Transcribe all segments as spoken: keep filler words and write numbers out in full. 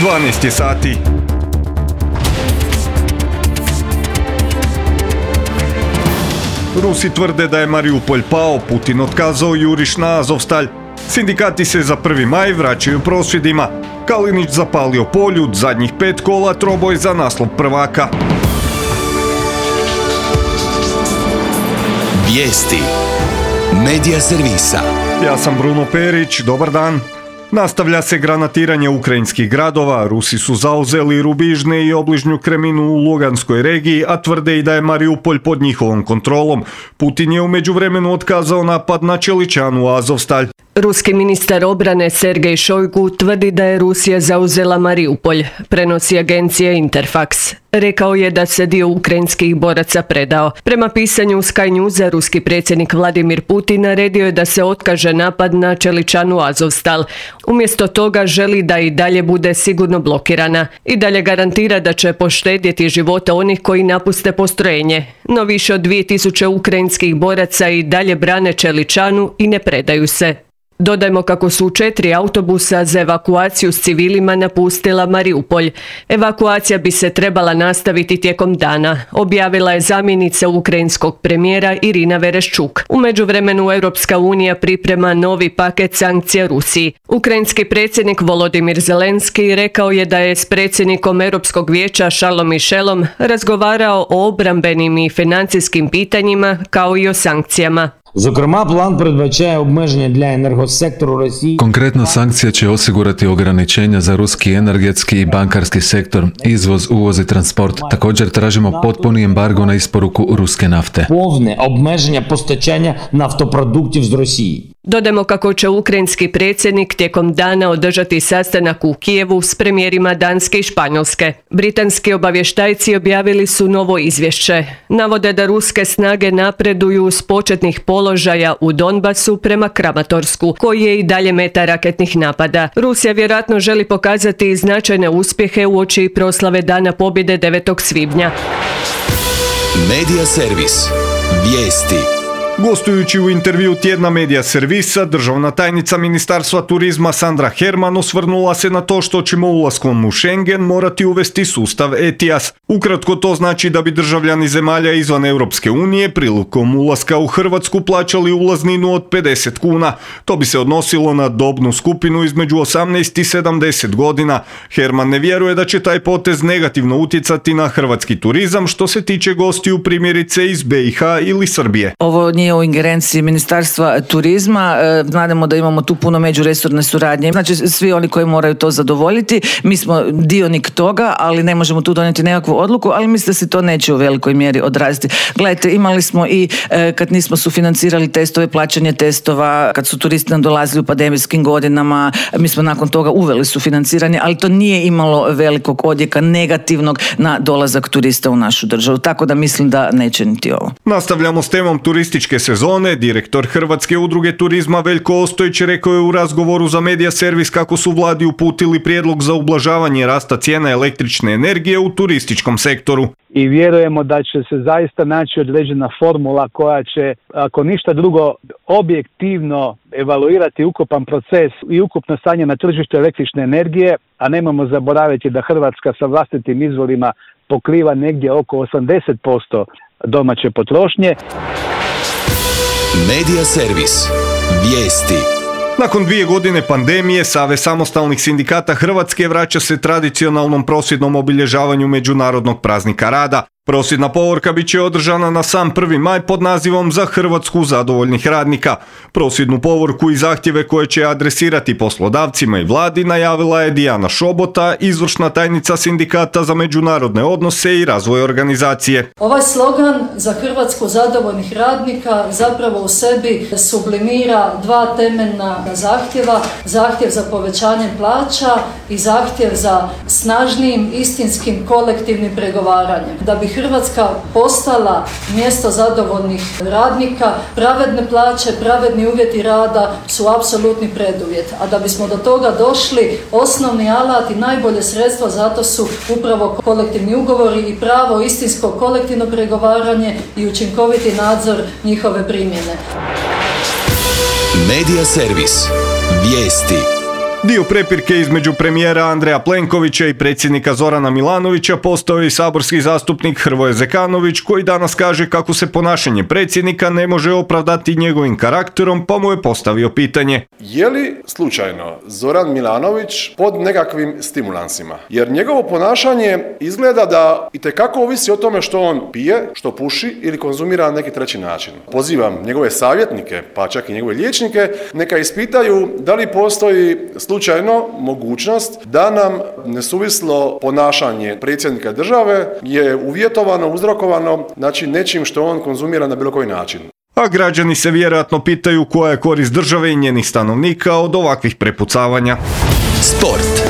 dvanaest je sati. Rusi tvrde da je Mariupolj pao, Putin otkazao juriš na Azovstalj. Sindikati se za prvi maj vraćaju prosvjedima. Kalinić zapalio Poljud, zadnjih pet kola troboj za naslov prvaka. Vijesti Medija servisa. Ja sam Bruno Perić, dobar dan. Nastavlja se granatiranje ukrajinskih gradova, Rusi su zauzeli Rubižne i obližnju Kreminu u Luganskoj regiji, a tvrde i da je Mariupolj pod njihovom kontrolom. Putin je u međuvremenu otkazao napad na Čeličanu Azovstalj. Ruski ministar obrane Sergej Šojgu tvrdi da je Rusija zauzela Mariupolj, prenosi agencija Interfax. Rekao je da se dio ukrajinskih boraca predao. Prema pisanju Sky Newsa, ruski predsjednik Vladimir Putin naredio je da se otkaže napad na Čeličanu Azovstal. Umjesto toga želi da i dalje bude sigurno blokirana. I dalje garantira da će poštedjeti života onih koji napuste postrojenje. No više od dvije tisuće ukrajinskih boraca i dalje brane Čeličanu i ne predaju se. Dodajmo kako su četiri autobusa za evakuaciju s civilima napustila Mariupolj. Evakuacija bi se trebala nastaviti tijekom dana, objavila je zamjenica ukrajinskog premijera Irina Vereščuk. U međuvremenu Europska unija priprema novi paket sankcija Rusiji. Ukrajinski predsjednik Volodimir Zelenski rekao je da je s predsjednikom Europskog vijeća Charlesom Michelom razgovarao o obrambenim i financijskim pitanjima kao i o sankcijama. Зокрема, план передбачає обмеження для енергосектору Росії. Konkretno, sankcija će osigurati ograničenja za ruski energetski i bankarski sektor, izvoz, uvoz i transport. Također tražimo potpuni embargo na isporuku ruske nafte. Повне обмеження постачання нафтопродуктів з Росії. Dodajmo kako će ukrajinski predsjednik tijekom dana održati sastanak u Kijevu s premijerima Danske i Španjolske. Britanski obavještajci objavili su novo izvješće. Navode da ruske snage napreduju s početnih položaja u Donbasu prema Kramatorsku, koji je i dalje meta raketnih napada. Rusija vjerojatno želi pokazati značajne uspjehe uoči proslave Dana pobjede devetog svibnja. Medija servis. Vijesti. Gostujući u intervju tjedna Medija servisa, državna tajnica Ministarstva turizma Sandra Herman osvrnula se na to što ćemo ulaskom u Schengen morati uvesti sustav E T I A S. Ukratko, to znači da bi državljani zemalja izvan Europske unije prilikom ulaska u Hrvatsku plaćali ulazninu od pedeset kuna. To bi se odnosilo na dobnu skupinu između osamnaest i sedamdeset godina. Herman ne vjeruje da će taj potez negativno utjecati na hrvatski turizam što se tiče gostiju primjerice iz B i H ili Srbije. Ovo nije u ingerenciji Ministarstva turizma. Znademo da imamo tu puno međuresorne suradnje. Znači, svi oni koji moraju to zadovoljiti, mi smo dionik toga, ali ne možemo tu donijeti nekakvu odluku, ali mislim da se to neće u velikoj mjeri odraziti. Gledajte, imali smo i kad nismo sufinancirali testove, plaćanje testova, kad su turisti nam dolazili u pandemijskim godinama, mi smo nakon toga uveli sufinanciranje, ali to nije imalo velikog odjeka negativnog na dolazak turista u našu državu. Tako da mislim da neće niti ovo. Nastavljamo s temom turističke sezone. Direktor Hrvatske udruge turizma Veljko Ostojić rekao je u razgovoru za Medija servis kako su vladi uputili prijedlog za ublažavanje rasta cijena električne energije u turističkom sektoru. I vjerujemo da će se zaista naći određena formula koja će, ako ništa drugo, objektivno evaluirati ukupan proces i ukupno stanje na tržištu električne energije, a nemojmo zaboraviti da Hrvatska sa vlastitim izvorima pokriva negdje oko osamdeset posto domaće potrošnje. Medija servis. Vijesti. Nakon dvije godine pandemije, Savez samostalnih sindikata Hrvatske vraća se tradicionalnom prosvjednom obilježavanju Međunarodnog praznika rada. Prosvjedna povorka bit će održana na sam prvi maj pod nazivom Za Hrvatsku zadovoljnih radnika. Prosvjednu povorku i zahtjeve koje će adresirati poslodavcima i vladi najavila je Dijana Šobota, izvršna tajnica sindikata za međunarodne odnose i razvoj organizacije. Ovaj slogan Za Hrvatsku zadovoljnih radnika zapravo u sebi sublimira dva temeljna zahtjeva. Zahtjev za povećanjem plaća i zahtjev za snažnijim istinskim kolektivnim pregovaranjem. Da bi Hrvatska postala mjesto zadovoljnih radnika, pravedne plaće, pravedni uvjeti rada su apsolutni preduvjet. A da bismo do toga došli, osnovni alat i najbolje sredstvo zato su upravo kolektivni ugovori i pravo istinsko kolektivno pregovaranje i učinkoviti nadzor njihove primjene. Medija servis. Vijesti. Dio prepirke između premijera Andreja Plenkovića i predsjednika Zorana Milanovića postao je i saborski zastupnik Hrvoje Zekanović, koji danas kaže kako se ponašanje predsjednika ne može opravdati njegovim karakterom, pa mu je postavio pitanje. Je li slučajno Zoran Milanović pod nekakvim stimulansima? Jer njegovo ponašanje izgleda da itekako ovisi o tome što on pije, što puši ili konzumira na neki treći način. Pozivam njegove savjetnike, pa čak i njegove liječnike, neka ispitaju da li postoji slučajno mogućnost da nam nesuvislo ponašanje predsjednika države je uvjetovano, uzrokovano, znači nečim što on konzumira na bilo koji način. A građani se vjerojatno pitaju koja je korist države i njenih stanovnika od ovakvih prepucavanja. Sport.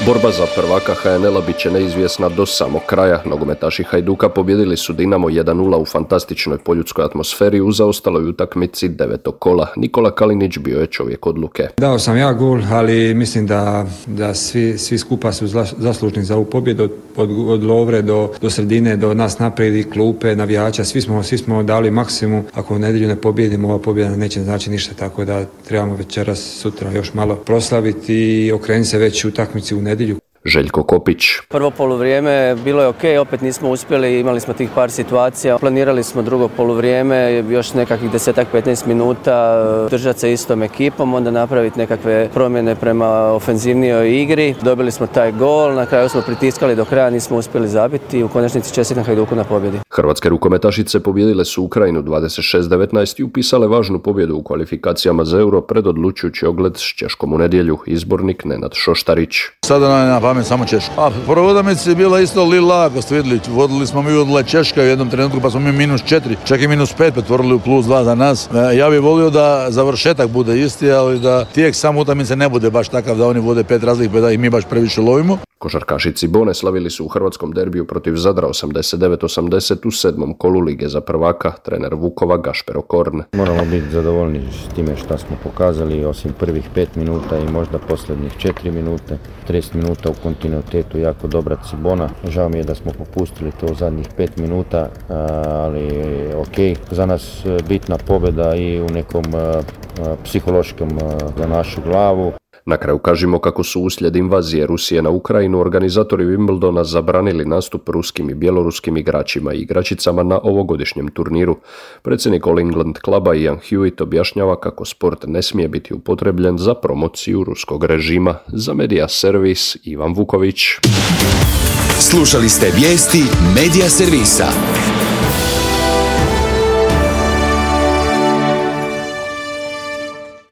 Borba za prvaka ha en el-a bit će neizvjesna do samog kraja. Nogometaši Hajduka pobjedili su Dinamo jedan nula u fantastičnoj poljudskoj atmosferi u zaostaloj utakmici devetog kola. Nikola Kalinić bio je čovjek odluke. Dao sam ja gol, ali mislim da, da svi, svi skupa su zaslužni za ovu pobjedu od, od, od Lovre do, do sredine, do nas naprijed, klupe, navijača. Svi smo, svi smo dali maksimum. Ako u nedjelju ne pobjedimo, ova pobjeda neće znači ništa, tako da trebamo večeras, sutra još malo proslaviti i okrenuti se već u utakmici u nedjelju. Željko Kopić. Prvo poluvrijeme bilo je ok, opet nismo uspjeli, imali smo tih par situacija. Planirali smo drugo poluvrijeme, još nekakvih desetak petnaest minuta držati se istom ekipom, onda napraviti nekakve promjene prema ofenzivnijoj igri. Dobili smo taj gol, na kraju smo pritiskali do kraja, nismo uspjeli zabiti i u konačnici čestitam Hajduku na pobjedi. Hrvatske rukometašice pobijedile su Ukrajinu dvadeset šest devetnaest i upisale važnu pobjedu u kvalifikacijama za Euro pred odlučujući ogled s Češkom u nedjelju. Izbornik Nenad Šoštarić. Sada na pamet samo Češka. A prvo utakmica je bila isto li lako, ste vidjeli, vodili smo mi odle Češka u jednom trenutku, pa smo mi minus četiri, čak i minus pet pretvorili u plus dva za nas. Ja bih volio da završetak bude isti, ali da tijek samo utakmice ne bude baš takav da oni vode pet razlik, pa da i mi baš previše lovimo. Košarkaši Cibone slavili su u hrvatskom derbiju protiv Zadra osamdeset devet osamdeset u sedmom kolu Lige za prvaka, trener Vukova Gašper Okorn. Moramo biti zadovoljni s time što smo pokazali, osim prvih pet minuta i možda posljednjih četiri minute. trideset minuta u kontinuitetu, jako dobra Cibona. Žao mi je da smo popustili to u zadnjih pet minuta, ali ok. Za nas bitna pobjeda i u nekom psihološkom za našu glavu. Na kraju kažemo kako su uslijed invazije Rusije na Ukrajinu organizatori Wimbledona zabranili nastup ruskim i bjeloruskim igračima i igračicama na ovogodišnjem turniru. Predsjednik All England kluba Ian Hewitt objašnjava kako sport ne smije biti upotrebljen za promociju ruskog režima. Za Media Servis Ivan Vuković. Slušali ste vijesti Media Servisa.